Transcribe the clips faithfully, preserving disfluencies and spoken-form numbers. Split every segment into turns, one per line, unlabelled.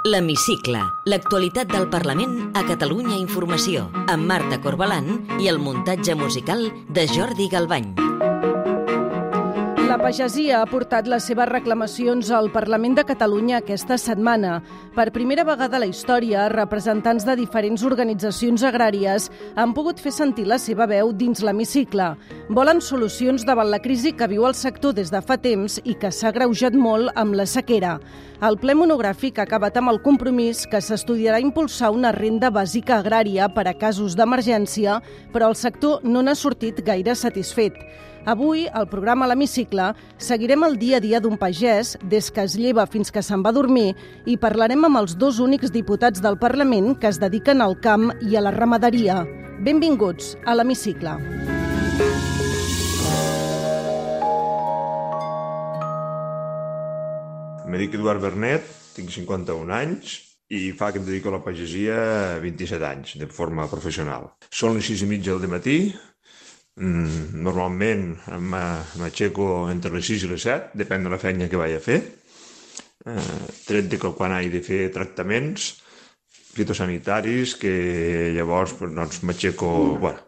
L'Hemicicle, l'actualitat del Parlament a Catalunya Informació, amb Marta Corbalán i el muntatge musical de Jordi Galbany.
La pagesia ha portat les seves reclamacions al Parlament de Catalunya aquesta setmana. Per primera vegada a la història, representants de diferents organitzacions agràries han pogut fer sentir la seva veu dins l'hemicicle. Volen solucions davant la crisi que viu el sector des de fa temps i que s'ha agreujat molt amb la sequera. El ple monogràfic ha acabat amb el compromís que s'estudiarà impulsar una renda bàsica agrària per a casos d'emergència, però el sector no n'ha sortit gaire satisfet. Avui, al programa L'Hemicicle, seguirem el dia a dia d'un pagès des que es lleva fins que se'n va a dormir i parlarem amb els dos únics diputats del Parlament que es dediquen al camp i a la ramaderia. Benvinguts a L'Hemicicle.
Em dic Eduard Bernet, tinc cinquanta-un anys i fa que em dedico a la pagesia vint-i-set anys, de forma professional. Són les sis i mitja del matí. Normalment m'aixeco entre les sis i les set, depèn de la feina que vaig a fer, tret de que quan he de fer tractaments fitosanitaris, que llavors doncs, m'aixeco bueno,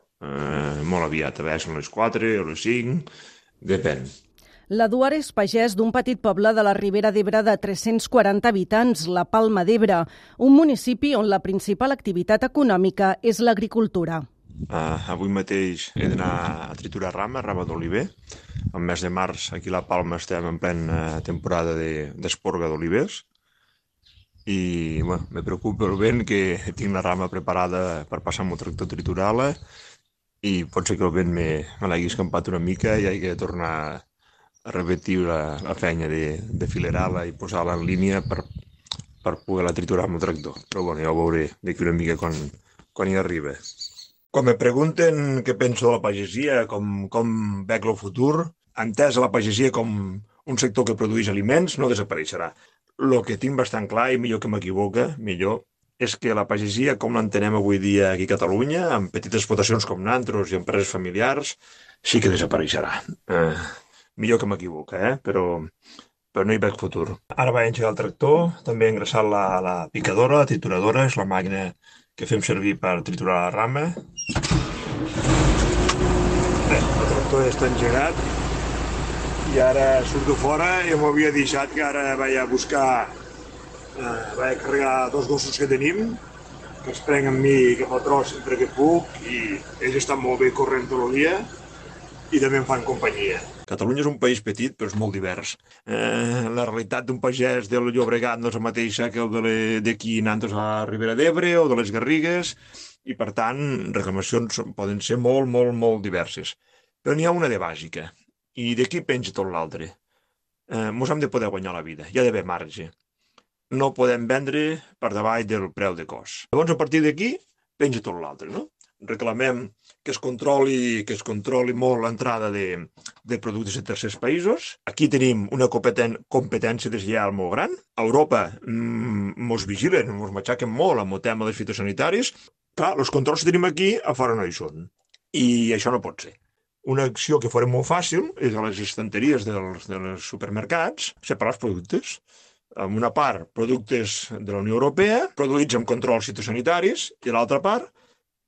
molt aviat, a vegades són les quatre o les cinc, depèn.
L'Eduard és pagès d'un petit poble de la Ribera d'Ebre de tres-cents quaranta habitants, la Palma d'Ebre, un municipi on la principal activitat econòmica és l'agricultura.
Uh, avui mateix he d'anar a triturar rama, rama d'oliver. Al mes de març, aquí a la Palma, estem en plena temporada d'esporga de, d'olivers. I bueno, me preocupa el vent, que tinc la rama preparada per passar amb el tractor a triturar-la i pot ser que el vent me, me l'hagi escampat una mica i hagi de tornar a repetir la, la feina de, de filerar-la i posar-la en línia per, per poder-la triturar amb el tractor. Però bueno, ja ho veuré d'aquí una mica quan, quan hi arriba. Quan me pregunten què penso de la pagesia, com, com veig el futur, entès la pagesia com un sector que produeix aliments, no desapareixerà. El que tinc bastant clar, i millor que m'equivoca, millor, és que la pagesia, com l'entenem avui dia aquí a Catalunya, amb petites explotacions com nantros i empreses familiars, sí que desapareixerà. Eh, millor que m'equivoca, eh? però, però no hi veig futur. Ara vaig engegar el tractor, també he ingressat la, la picadora, la trituradora, és la màquina que fem servir per triturar la rama. Bé, el tractor està engegat i ara surto fora i m'havia deixat que ara vaig a buscar, eh, vaig a carregar dos gossos que tenim, que es prenc amb mi cap al tros sempre que puc i ells estan molt bé corrent tot el dia i també em fan companyia. Catalunya és un país petit, però és molt divers. Eh, la realitat d'un pagès del Llobregat no és la mateixa que el d'aquí nantes a la Ribera d'Ebre o de les Garrigues, i per tant, reclamacions poden ser molt, molt, molt diverses. Però n'hi ha una de bàsica, i d'aquí penja tot l'altre. Eh, mos hem de poder guanyar la vida, hi ha d'haver marge. No podem vendre per davall del preu de cost. Llavors, a partir d'aquí, penja tot l'altre, no? Reclamem que es controli, que es controli molt l'entrada de, de productes de tercers països. Aquí tenim una competència deslleial molt gran. A Europa mmm, mos vigilen, mos matxaquen molt amb el tema dels fitosanitaris. Clar, els controls que tenim aquí a fora no hi són. I això no pot ser. Una acció que fora molt fàcil és a les estanteries dels, dels supermercats separar els productes. En una part, productes de la Unió Europea, produïts amb controls fitosanitaris, i a l'altra part,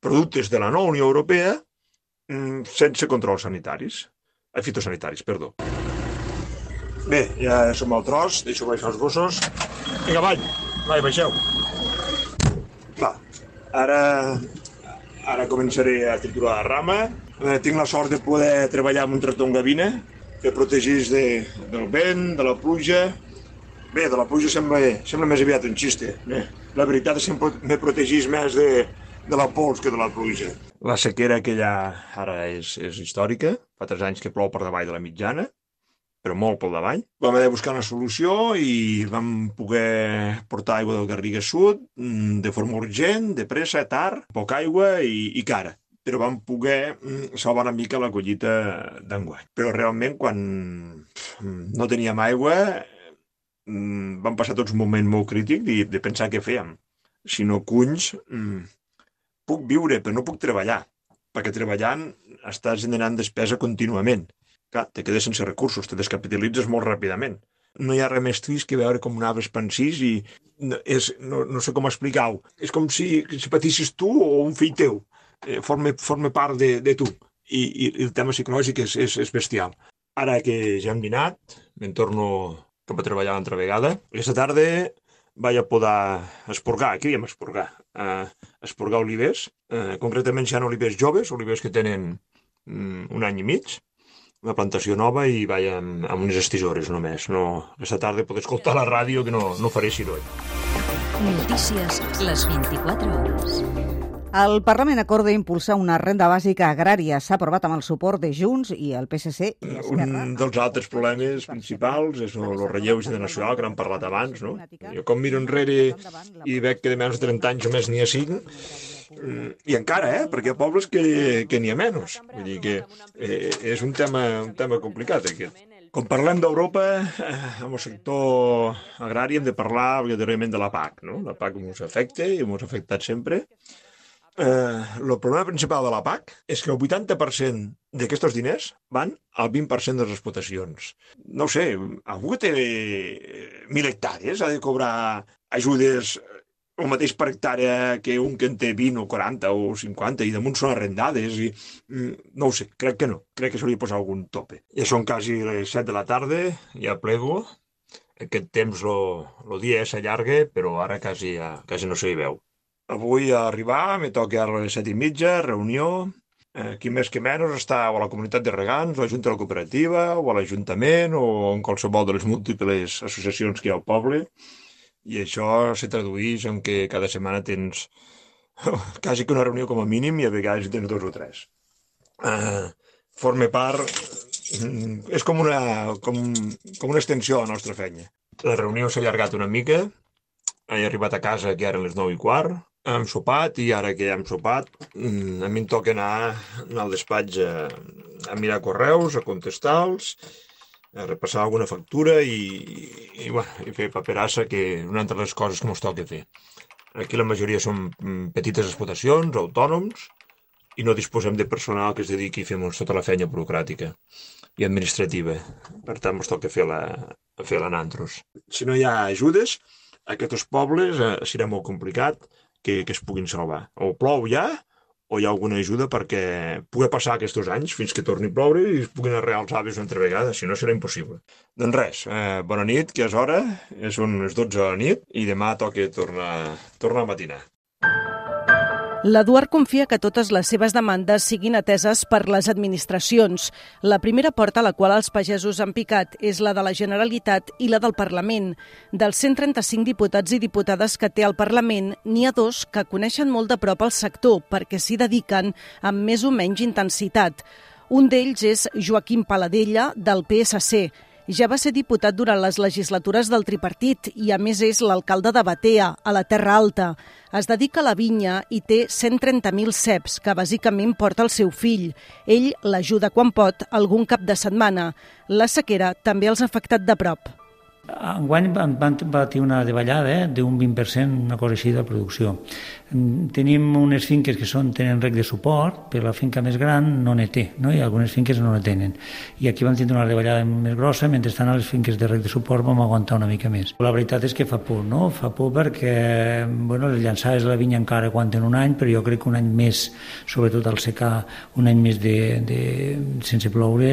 productes de la no Unió Europea sense controls sanitaris, eh, fitosanitaris, perdó. Bé, ja som al tros, deixo baixar els gossos. Vinga, avall, vai, baixeu. Va, ara, ara començaré a triturar la rama. Eh, tinc la sort de poder treballar amb un tractor en gavina que protegeix de, del vent, de la pluja. Bé, de la pluja sembla, sembla més aviat un xiste. Bé, la veritat és que me protegeix més de de la pols que de la pluja. La sequera que hi ha ara és, és històrica. Fa tres anys que plou per davall de la mitjana, però molt per davall. Vam haver de buscar una solució i vam poder portar aigua del Garrigues Sud de forma urgent, de pressa, tard, poca aigua i, i cara. Però vam poder salvar una mica la collita d'enguany. Però realment, quan no teníem aigua, vam passar tots un moment molt crític de, de pensar què fèiem. Si no cunys, puc viure, però no puc treballar, perquè treballant estàs generant despesa contínuament. Clar, te quedes sense recursos, te descapitalitzes molt ràpidament. no hi ha res més trist que veure com un arbre es pansís i no, és, no, no sé com explicar-ho. És com si, si patissis tu o un fill teu. Eh, forma, forma part de, de tu. I, i, I el tema psicològic és, és, és bestial. Ara que ja hem dinat, me'n torno cap a treballar l'altra vegada. Aquesta tarda vaig a poder esporgar, aquí diem esporgar, eh, esporgar olivers. Eh, concretament hi ha olivers joves, olivers que tenen mm, un any i mig, una plantació nova i vaig amb, amb unes estisores només. No, aquesta tarda poder escoltar la ràdio que no, no faré soroll.
Notícies les vint-i-quatre hores.
El Parlament acorda impulsar una renda bàsica agrària. S'ha aprovat amb el suport de Junts i el P S C i Esquerra.
Un dels altres problemes principals és el relleu generacional, que n'hem parlat abans. No? Jo com miro enrere i veig que de menys de trenta anys només n'hi ha cinc, i encara, eh? Perquè hi ha pobles que, que n'hi ha menys. Vull dir que eh, és un tema, un tema complicat, aquest. Quan parlem d'Europa, eh, amb el sector agrari hem de parlar obligatòriament de la P A C. No? La P A C ens afecta i ens ha afectat sempre. Eh, el problema principal de la P A C és que el vuitanta per cent d'aquests diners van al vint per cent de les explotacions. No ho sé, algú que té mil hectàrees ha de cobrar ajudes el mateix per hectàrea que un que en té vint o quaranta o cinquanta i damunt són arrendades i no ho sé, crec que no, crec que s'hauria de posar algun tope. Ja són quasi les set de la tarda, ja plego, aquest temps el dia s'allarga, però ara quasi, quasi no s'hi veu. Avui a arribar, me toca a les set i mitja, reunió, eh, qui més que menys està o a la comunitat de regants, o a la Junta de la Cooperativa, o a l'Ajuntament, o en qualsevol de les múltiples associacions que hi ha al poble. I això se tradueix en que cada setmana tens quasi que una reunió com a mínim i a vegades tens dos o tres. Uh, forma part... És com una, com, com una extensió de la nostra feina. La reunió s'ha allargat una mica, he arribat a casa que eren les nou i quart, hem sopat i ara que ja hem sopat a mi em toca anar al despatx a, a mirar correus, a contestar-los, a repassar alguna factura i, i, bueno, i fer paperassa, que una altra de les coses que ens toca fer. Aquí la majoria són petites explotacions, autònoms, i no disposem de personal que es dediqui a fer tota la feina burocràtica i administrativa. Per tant, ens toca fer la, fer la nantros. Si no hi ha ajudes, a aquests pobles eh, serà molt complicat que, que es puguin salvar. O plou ja, o hi ha alguna ajuda perquè pugui passar aquests anys fins que torni a ploure i es puguin arrear els avis una altra vegada, si no serà impossible. Doncs res, eh, bona nit, que és hora, són les dotze de la nit i demà toca tornar, tornar a matinar.
L'Eduard confia que totes les seves demandes siguin ateses per les administracions. La primera porta a la qual els pagesos han picat és la de la Generalitat i la del Parlament. Dels cent trenta-cinc diputats i diputades que té el Parlament, n'hi ha dos que coneixen molt de prop el sector perquè s'hi dediquen amb més o menys intensitat. Un d'ells és Joaquim Paladella, del P S C. Ja va ser diputat durant les legislatures del tripartit i, a més, és l'alcalde de Batea, a la Terra Alta. Es dedica a la vinya i té cent trenta mil ceps, que bàsicament porta el seu fill. Ell l'ajuda quan pot, algun cap de setmana. La sequera també els ha afectat de prop.
Enguany van patir una davallada eh, d'un vint per cent, una cosa així de producció. Tenim unes finques que són, tenen reg de suport, però la finca més gran no ne té, no? I algunes finques no ne tenen. I aquí vam tindre una davallada més grossa, mentrestant a les finques de reg de suport vam aguantar una mica més. La veritat és que fa por, no? Fa por perquè bueno, les llançades de la vinya encara aguanten un any, però jo crec que un any més, sobretot al secar, un any més de, de, sense ploure,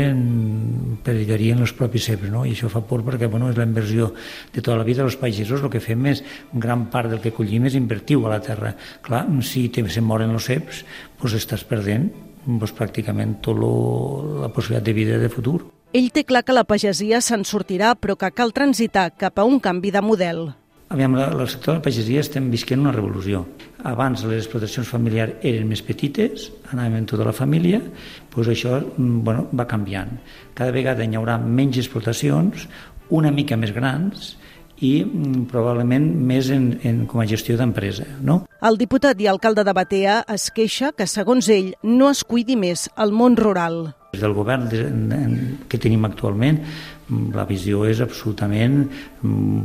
perillarien els propis ceps, no? I això fa por perquè bueno, és la inversió de tota la vida dels pagesos. El que fem és, gran part del que collim és invertiu a la terra. Clar, si te, se moren els ceps, doncs estàs perdent doncs, pràcticament tota la possibilitat de vida de futur.
Ell té clar que la pagesia se'n sortirà, però que cal transitar cap a un canvi de model.
Aviam, el sector de la pagesia estem visquent una revolució. Abans les explotacions familiars eren més petites, anàvem amb tota la família, doncs això bueno, va canviant. Cada vegada hi haurà menys explotacions, una mica més grans, i probablement més en, en, com a gestió d'empresa, no?
El diputat i alcalde de Batea es queixa que, segons ell, no es cuidi més el món rural.
Des del govern que tenim actualment, la visió és absolutament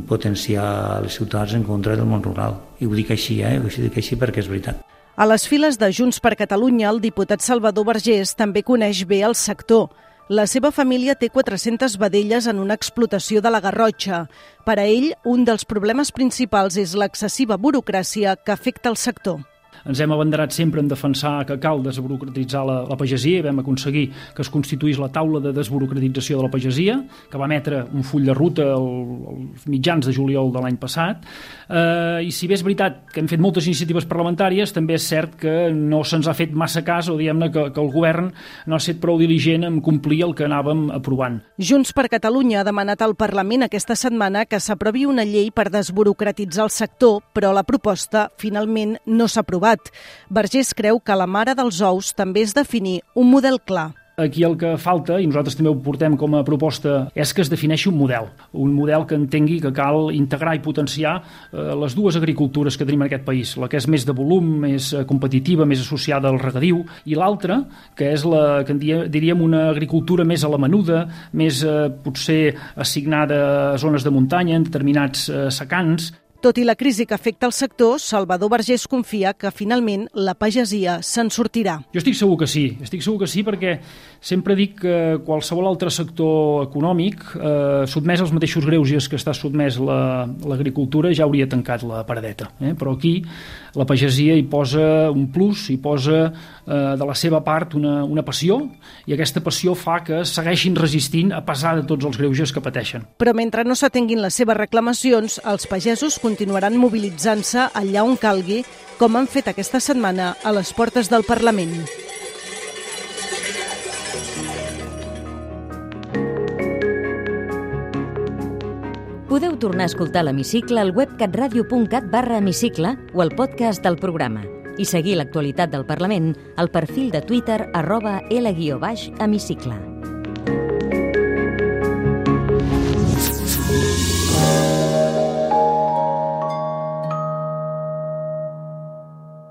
potenciar les ciutats en contra del món rural. I ho dic així, eh? Ho dic així perquè és veritat.
A les files de Junts per Catalunya, el diputat Salvador Vergés també coneix bé el sector. La seva família té quatre-centes vedelles en una explotació de la Garrotxa. Per a ell, un dels problemes principals és l'excessiva burocràcia que afecta el sector.
Ens hem abanderat sempre en defensar que cal desburocratitzar la, la pagesia i vam aconseguir que es constituís la taula de desburocratització de la pagesia, que va emetre un full de ruta als mitjans de juliol de l'any passat. Eh, I si bé és veritat que hem fet moltes iniciatives parlamentàries, també és cert que no se'ns ha fet massa cas, o diguem-ne que, que el govern no ha estat prou diligent en complir el que anàvem aprovant.
Junts per Catalunya ha demanat al Parlament aquesta setmana que s'aprovi una llei per desburocratitzar el sector, però la proposta finalment no s'ha aprovat. Vergés creu que la mare dels ous també és definir un model clar.
Aquí el que falta, i nosaltres també ho portem com a proposta, és que es defineixi un model. Un model que entengui que cal integrar i potenciar eh, les dues agricultures que tenim en aquest país. La que és més de volum, més competitiva, més associada al regadiu, i l'altra, que és la que diríem una agricultura més a la menuda, més eh, potser assignada a zones de muntanya, en determinats eh, secans.
Tot i la crisi que afecta el sector, Salvador Vergés confia que finalment la pagesia se'n sortirà.
Jo estic segur que sí, estic segur que sí perquè sempre dic que qualsevol altre sector econòmic eh, sotmès als mateixos greuges que està sotmès la, l'agricultura ja hauria tancat la paradeta. Eh? Però aquí la pagesia hi posa un plus, hi posa eh, de la seva part una, una passió, i aquesta passió fa que segueixin resistint a pesar de tots els greuges que pateixen.
Però mentre no s'atenguin les seves reclamacions, els pagesos continuaran mobilitzant-se allà on calgui, com han fet aquesta setmana a les portes del Parlament.
Podeu tornar a escoltar l'Hemicicle al web catradio punt cat barra hemicicle o al podcast del programa i seguir l'actualitat del Parlament al perfil de Twitter arroba L guió baix hemicicle.